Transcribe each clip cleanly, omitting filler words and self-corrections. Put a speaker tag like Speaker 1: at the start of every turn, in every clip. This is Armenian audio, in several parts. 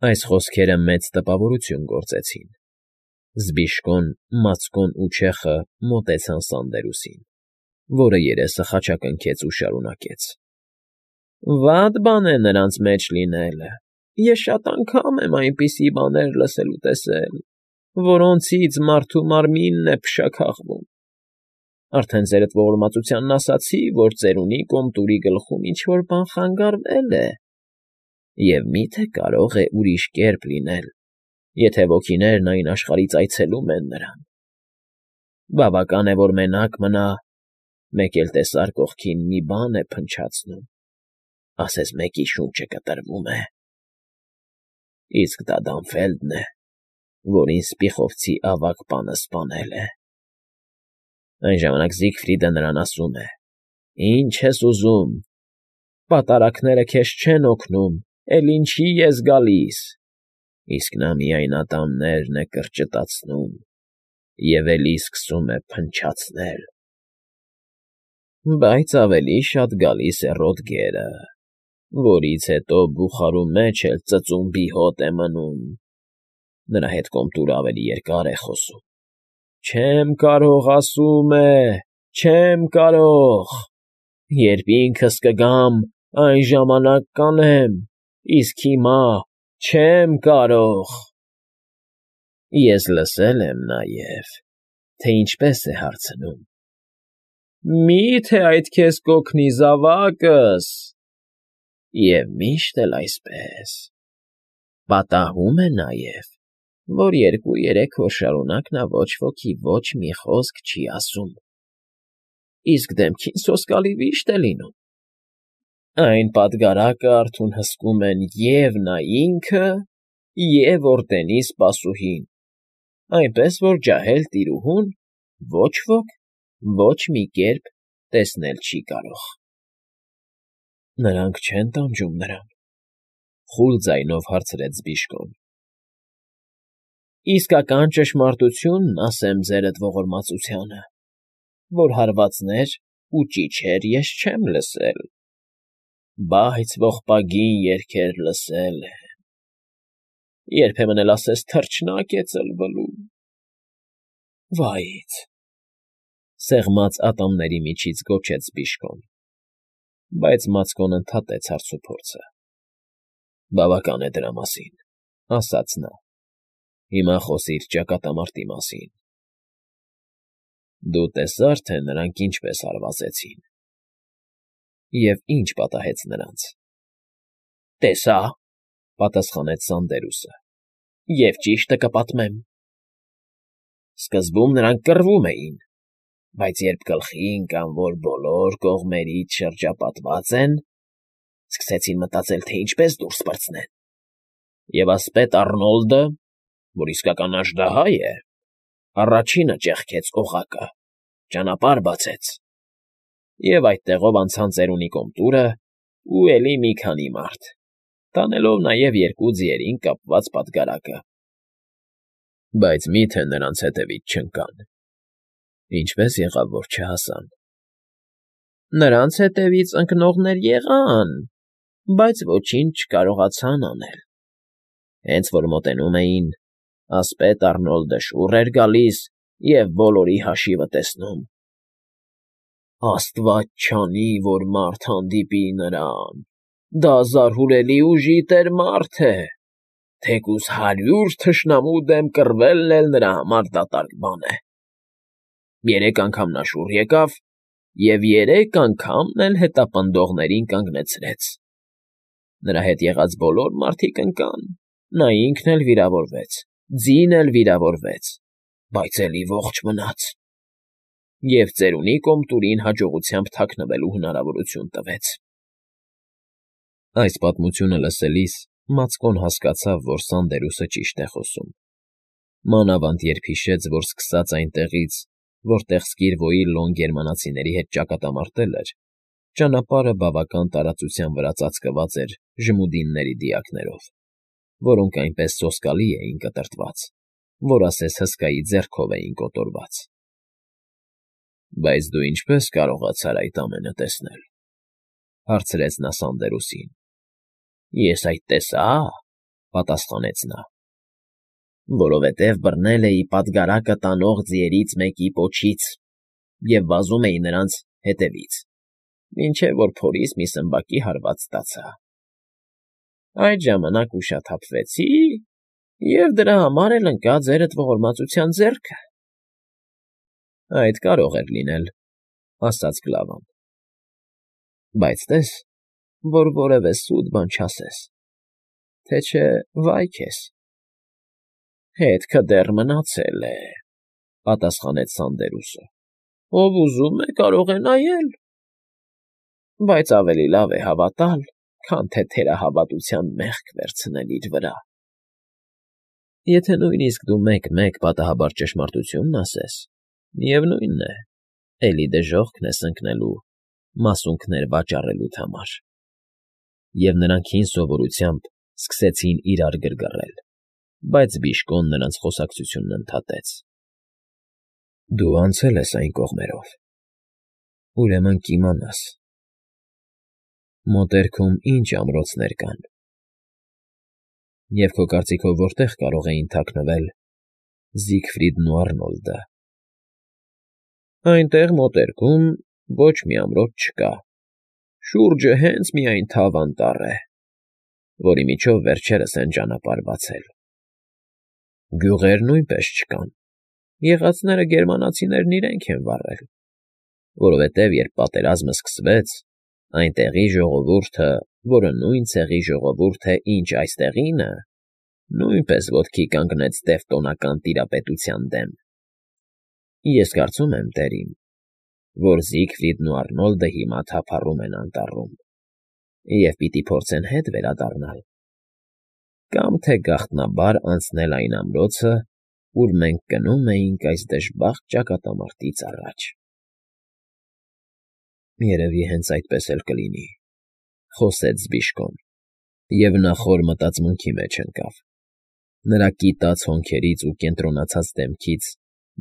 Speaker 1: Այս խոսքերը մեծ տպավորություն գործեցին։ Զբիշկոն, Մացկոն ու Չեխը մոտեցան Սանդերուսին, որը երեսը խաչակնքեց ու շարունակեց. Վատ բան է նրանց մեջ լինելը։ Ես շատ անգամ եմ այնպիսի բաներ լսել ու տեսել, որոնցից մարդու մարմինն է փշաքաղվում։ Արդեն ձերդ ողորմածությանն ասացի, որ ծերունի կոմտուրի գլխում ինչ֊որ բան խանգարվել է, և մի՞թե կարող է ուրիշ կերպ լինել, եթե ոգիներն այն աշխարհից այցելում են նրան։ Բավական է, որ մենակ մնա, մեկ էլ տեսար կողքին մի բան է փնչացնում, ասես մեկի շունչը կտրվում է։ Իսկ դա Դանֆելդն է, որին սպիխովցի ավագ պանը սպանել է։ Այն ժամանակ Զիգֆրիդը նրան ասում է. «Ինչ ես ուզում, պատարագները քեզ չեն օգնում, էլ ինչի ես գալիս», իսկ նա միայն ատամներն է կրճտացնում և էլի սկսում է փնչացնել։ Բայց ավելի շատ գալիս է Ռոդգերը, որից հետո բուխարու մեջ էլ ծծումբի հոտ է մնում։ Նրա հետ կոմտուրը ավելի երկար է խոսում։ Չեմ կարող, ասում է, չեմ կարող։ Երբ ինքս կգամ, այն ժամանակ կանեմ, իսկ հիմա չեմ կարող։ Ես լսել եմ նաև, թե ինչպես է հարցնում. «Մի՞թե այդ քեզ կօգնի, զավակս»։ Եվ միշտ էլ այսպես։ Պատահում է նաև, որ 2-3 օր շարունակ նա ոչ ոքի ոչ մի խոսք չի ասում, իսկ դեմքին սոսկալի վիշտ է լինում։ Այն պատգարակը արթուն հսկում են և՛ նա ինքը, և՛ օրտենի սպասուհին, այնպես որ ջահել տիրուհուն ոչ ոք ոչ մի կերպ տեսնել չի կարող։ Նրանք չեն տանջում նրան, խուլ ձայնով հարցրեց Զբիշկոն։ Իսկական ճշմարտությունն ասեմ ձերդ ողորմածությանը, որ հարվածներ ու ճիչեր ես չեմ լսել, բայց ողբագին երգեր լսել եմ։ Երբեմն էլ ասես թռչնակ է ծլվլում։ Վայից, սեղմած ատամների միջից գոչեց Զբիշկոն, բայց Մացկոն ընդհատեց հարցուփորձը։ Բավական է դրա մասին, ասաց նա։ Հիմա խոսիր ճակատամարտի մասին։ Դու տեսա՞ր, թե նրանք ինչպես հարվածեցին։ Եվ ի՞նչ պատահեց նրանց։ Տեսա, պատասխանեց Սանդերուսը, և ճիշտը կպատմեմ։ Սկզբում նրանք կռվում էին, բայց երբ գլխի ընկան, որ բոլոր կողմերից շրջապատված են, սկսեցին մտածել, թե ինչպես դուրս պրծնեն։ Եվ ասպետ Առնոլդը, որ իսկական աժդահա է, առաջինը ճեղքեց օղակը, ճանապարհ բացեց, և այդտեղով անցան ծերունի կոմտուրը ու էլի մի քանի մարդ, տանելով նաև 2 ձիերին կապված պատգարակը։ Բայց մի՞թե նրանց հետևից չընկան։ Ինչպես եղավ, որ չհասան։ Նրանց հետևից ընկնողներ եղան, բայց ոչինչ չկարողացան անել։ Հենց որ մոտենում էին, ասպետ Առնոլդը շուռ էր գալիս և բոլորի հաշիվը տեսնում։ Աստված չանի, որ մարդ հանդիպի նրան, դա զարհուրելի ուժի տեր մարդ է, թեկուզ 100 թշնամու դեմ կռվելն էլ նրա համար դատարկ բան է։ 3 անգամ նա շուռ եկավ և 3 անգամն էլ հետապնդողներին կանգնեցրեց։ Նրա հետ եղած բոլոր մարդիկ ընկան, նա ինքն էլ վիրավորվեց, ձին էլ վիրավորվեց, բայց էլի ողջ մնաց։ Եվ ծերունի կոմտուրին հաջողությամբ թաքնվելու հնարավորություն տվեց։ Այս պատմությունը լսելիս Մացկոն հասկացավ, որ Սանդերուսը ճիշտ է խոսում։ Մանավանդ երբ հիշեց, որ սկսած այնտեղից, որտեղ Սկիրվոյի լոն գերմանացիների հետ ճակատամարտել էր, ճանապարհը բավական տարածության վրա ծածկված էր ժմուդինների դիակներով, որոնք այնպես սոսկալի էին կտրտված, որ ասես հսկայի ձեռքով էին կոտորված։ Բայց դու ինչպե՞ս կարողացար այդ ամենը տեսնել, հարցրեց նա Սանդերուսին։ Ես այդ տեսա, պատասխանեց նա։ Որովհետև բռնել էի պատգարակը տանող ձիերից մեկի պոչից և վազում էի նրանց հետևից, մինչև որ փորիս մի սմբակի հարված ստացա։ Այդ ժամանակ ուշաթափվեցի և դրա համար էլ ընկա ձերդ ողորմածության ձեռքը։ Այդ կարող էր լինել, ասաց Գլավան, բայց տես, որ որևէ սուտ բան չասես, թե չէ վայ քեզ։ Հետքը դեռ մնացել է, պատասխանեց Սանդերուսը, ով ուզում է կարող է նայել, բայց ավելի լավ է հավատալ, քան թե թերահավատության մեղք վերցնել իր վրա։ Եթե նույնիսկ դու մեկ-մեկ պատահաբար ճշմարտությունն ասես, միևնույն է, էլի դժոխքն ես ընկնելու մասունքներ վաճառելուդ համար։ Եվ նրանք հին սովորությամբ սկսեցին իրար գրգռել, բայց Բիժկոն նրանց խոսակցությունն ընդհատեց. Դու անցել ես այն կողմերով, ուրեմն կիմանաս, մոտերքում ինչ ամրոցներ կան, և քո կարծիքով որտեղ կարող էին թաքնվել Զիգֆրիդն ու Արնոլդը։ Այնտեղ մոտերքում ոչ մի ամրոց չկա, շուրջը հենց միայն թավ անտառ է, որի միջով վերջերս են ճանապարհ բացել։ Գյուղեր նույնպես չկան, եղածները գերմանացիներն իրենք են վառել, որովհետև երբ պատերազմը սկսվեց, այնտեղի ժողովուրդը, որը նույն ցեղի ժողովուրդ է, ինչ այստեղինը, նույնպես ոտքի կանգնեց տևտոնական տիրապետության դեմ։ Ես կարծում եմ, տերին, որ Զիգֆրիդն ու Արնոլդը հիմա թափառում են անտառում և պիտի փորձեն հետ վերադառնալ, կամ թե գաղտնաբար անցնել այն ամրոցը, ուր մենք գնում էինք այս դժբախտ ճակատամարտից առաջ։ Երևի հենց այդպես էլ կլինի, խոսեց Զբիշկոն, և նա խոր մտածմունքի մեջ ընկավ։ Նրա կիտած հոնքերից ու կենտրոնացած դեմքից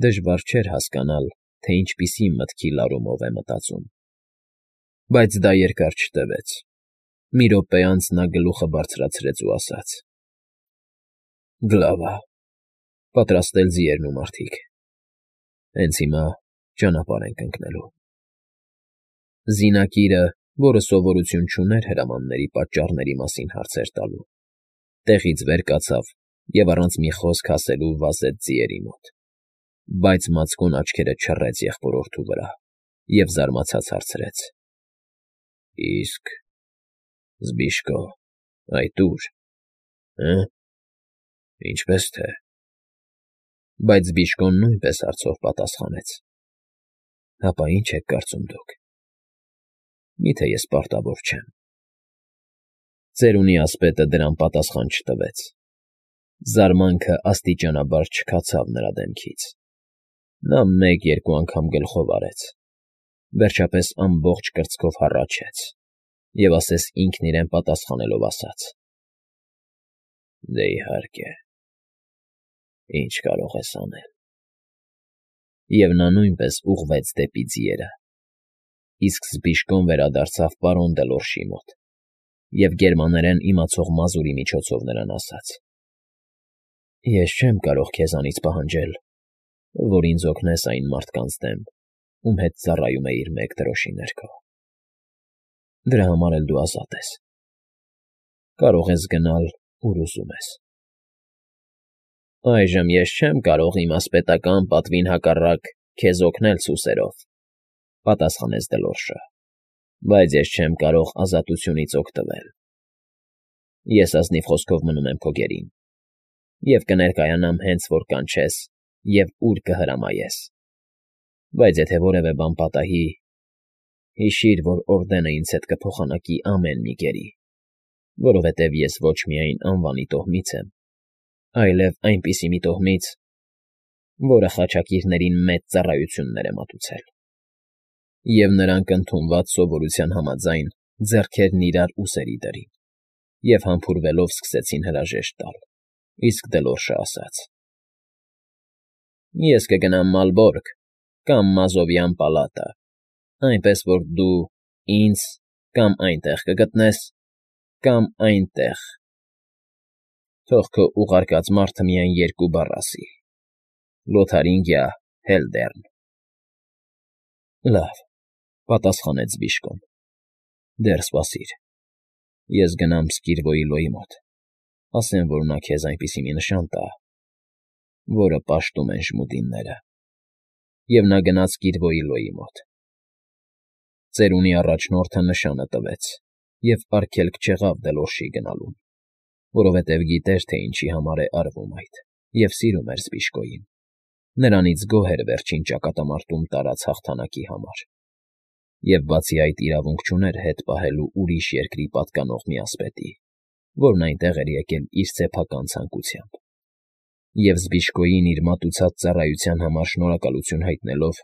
Speaker 1: դժվար չէր հասկանալ, թե ինչպիսի մտքի լարումով է մտածում։ Բայց դա երկար չտևեց։ Մի րոպե անց նա գլուխը բարձրացրեց ու ասաց. Գլավա, պատրաստել ձիերն ու մարդիկ։ Հենց հիմա ճանապարհ ենք ընկնելու։ Զինակիրը, որը սովորություն չուներ հրամանների պատճառների մասին հարցեր տալու, տեղից վեր կացավ և առանց մի խոսք ասելու վազեց ձիերի մոտ, բայց մածկուն աչքերը չռեց եղբորորդու վրա և զարմացած հարցրեց. Իսկ Զբիշկո, այդ ո՞ւր, ինչպես թե։ Բայց Զբիշկոն նույնպես հարցով պատասխանեց. Հապա ի՞նչ եք կարծում դուք։ Միթե ես պարտավոր չեմ։ Ծերունի ասպետը դրան պատասխան չտվեց։ Զարմանքը աստիճանաբար չքացավ նրա դեմքից։ Նա մեկ-երկու անգամ գլխով արեց, վերջապես ամբողջ կրծքով հառաչեց և ասես ինքն իրեն պատասխանելով ասաց. Դե իհարկե, ինչ կարող ես անել։ Եվ նա նույնպես ուղղվեց դեպի ձիերը, իսկ Զբիշկոն վերադարձավ պարոն Դելորշի մոտ և գերմաներեն իմացող մազուրի միջոցով նրան ասաց. Ես չեմ կարող քեզանից պահանջել, որ ինձ օգնես այն մարդկանց դեմ, ում հետ ծառայում էիր մեկ դրոշի ներքո։ Դրա համար էլ դու ազատ ես։ Կարող ես գնալ, ուր ուզում ես։ Այժմ ես չեմ կարող իմ ասպետական պատվին հակառակ քեզ օգնել սուսերով, պատասխանեց Դելորշը, բայց ես չեմ կարող ազատությունից օգտվել։ Ես ազնիվ խոսքով մնում եմ քո գերին և կներկայանամ հենց որ կանչես և ուր կհրամայես։ Բայց եթե որևէ բան պատահի, հիշիր, որ օրդենը ինձ հետ կփոխանակի ամեն մի գերի, որովհետև ես ոչ միայն անվանի տոհմից եմ, այլև այնպիսի մի տոհմից, որը խաչակիրներին մեծ ծառայություններ է մատուցել։ Եվ նրանք ընդունված սովորության համաձայն ձեռքերն իրար ուսերի դրին և համբուրվելով սկսեցին հրաժեշտ տալ, իսկ Դելորշը ասաց. Ես կգնամ Մալբորգ կամ Մազովյան պալատը, այնպես որ դու ինձ կամ այնտեղ կգտնես, կամ այնտեղ։ Թող քո ուղարկած մարդը միայն երկու բառ ասի. Լոթարինգիա Հելդեռն։ Լավ, պատասխանեց Բիժկոն։ Դեռ սպասիր։ Ես գնամ Սկիրվոյլոյի մոտ, ասեմ, որ նա քեզ այնպիսի մի նշան տա, որը պաշտում են ժմուդինները։ Եվ նա գնաց Կիրվոյլոյի մոտ։ Ծերունի առաջնորդը նշանը տվեց և արգելք չեղավ Դելոշի գնալուն, որովհետև գիտեր, թե ինչի համար է արվում այդ, և սիրում էր Զբիժկոյին։ Նրանից գոհ էր վերջին ճակատամարտում տարած հաղթանակի համար, և բացի այդ իրավունք չուներ հետ պահելու ուրիշ երկրի պատկանող միասպետի, որն այնտեղ էր եկել իր սեփական ցանկությամբ։ Եվ Զբիժկոյին իր մատուցած ծառայության համար շնորհակալություն հայտնելով,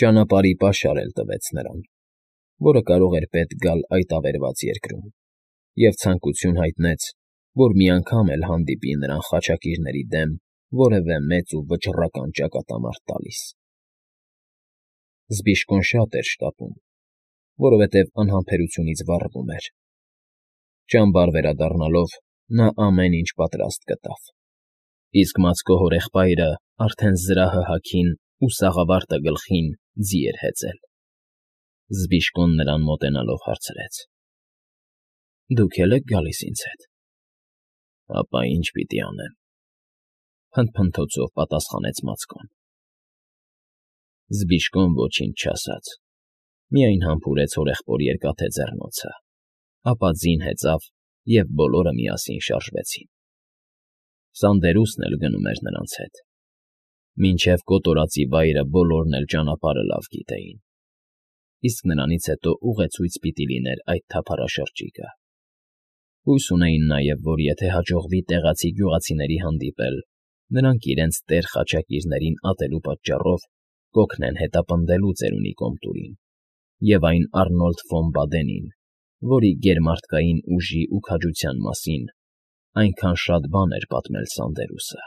Speaker 1: ճանապարհի պաշար էլ տվեց նրան, որը կարող էր պետք գալ այդ ավերված երկրում, և ցանկություն հայտնեց, որ մի անգամ էլ հանդիպի նրան խաչակիրների դեմ որևէ մեծ ու վճռական ճակատամարտ տալիս։ Զբիժկոն շատ էր շտապում, որովհետև անհամբերությունից վառվում էր։ Ճամբար վերադառնալով նա ամեն ինչ պատրաստ գտավ, իսկ Մացկո հորեղբայրը արդեն զրահը հագին ու սաղավարտը գլխին ձի էր հեծել։ Զբիժկոն նրան մոտենալով հարցրեց. Դուք էլ եք գալիս ինձ հետ։ Ապա ինչ պիտի անեմ, փնթփնթոցով պատասխանեց Մացկոն։ Զբիժկոն ոչինչ չասաց, միայն համբուրեց հորեղբոր երկաթե ձեռնոցը, ապա ձին հեծավ, և բոլորը միասին շարժվեցին։ Սանդերուսն էլ գնում էր նրանց հետ։ Մինչև կոտորածի վայրը բոլորն էլ ճանապարհը լավ գիտեին, իսկ նրանից հետո ուղեցույց պիտի լիներ այդ թափառաշրջիկը։ Հույս ունեին նաև, որ եթե հաջողվի տեղացի գյուղացիների հանդիպել, նրանք իրենց տեր խաչակիրներին ատելու պատճառով կօգնեն հետապնդելու ծերունի կոմտուրին և այն Արնոլդ ֆոն Բադենին, որի գերմարդկային ուժի ու քաջության մասին այնքան շատ բան էր պատմել Սանդերուսը։